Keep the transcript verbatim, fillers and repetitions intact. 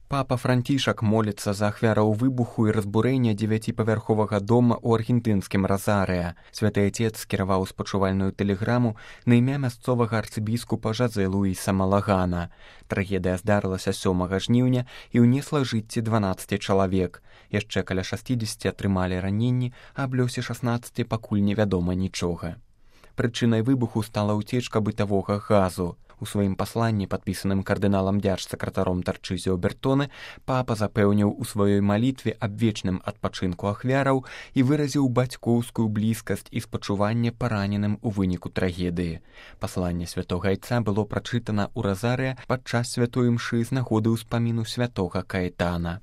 Папа Францішак моліцца за ахвяраў выбуху і разбурэння дзевяціпавярховага дома ў аргентынскім Разарыя. Святы Отец скіраваў спачувальную тэлеграму на імя мясцовага арцыбіскупа Жазэ Луіса Малагана. Трагедыя здарылася сёмага жніўня і ўнесла жыцці дванаццаці чалавек. Яшчэ каля шасцідзесяці атрымалі раненні, а аб лёсе шаснаццаці пакуль невядома нічога. Прычынай выбуху стала ўцечка бытавога газу. У сваім пасланні, падпісаным кардыналам дзяржсакратаром Тарчызіо Бертоне, папа запэўніў у сваёй малітве аб вечным адпачынку ахвяраў і выразіў бацькоўскую блізкасць і спачуванне параненым у выніку трагедыі. Пасланне святога Айца было прачытана ў Разарыя падчас святой імшы з нагоды ўспаміну святога Каэтана.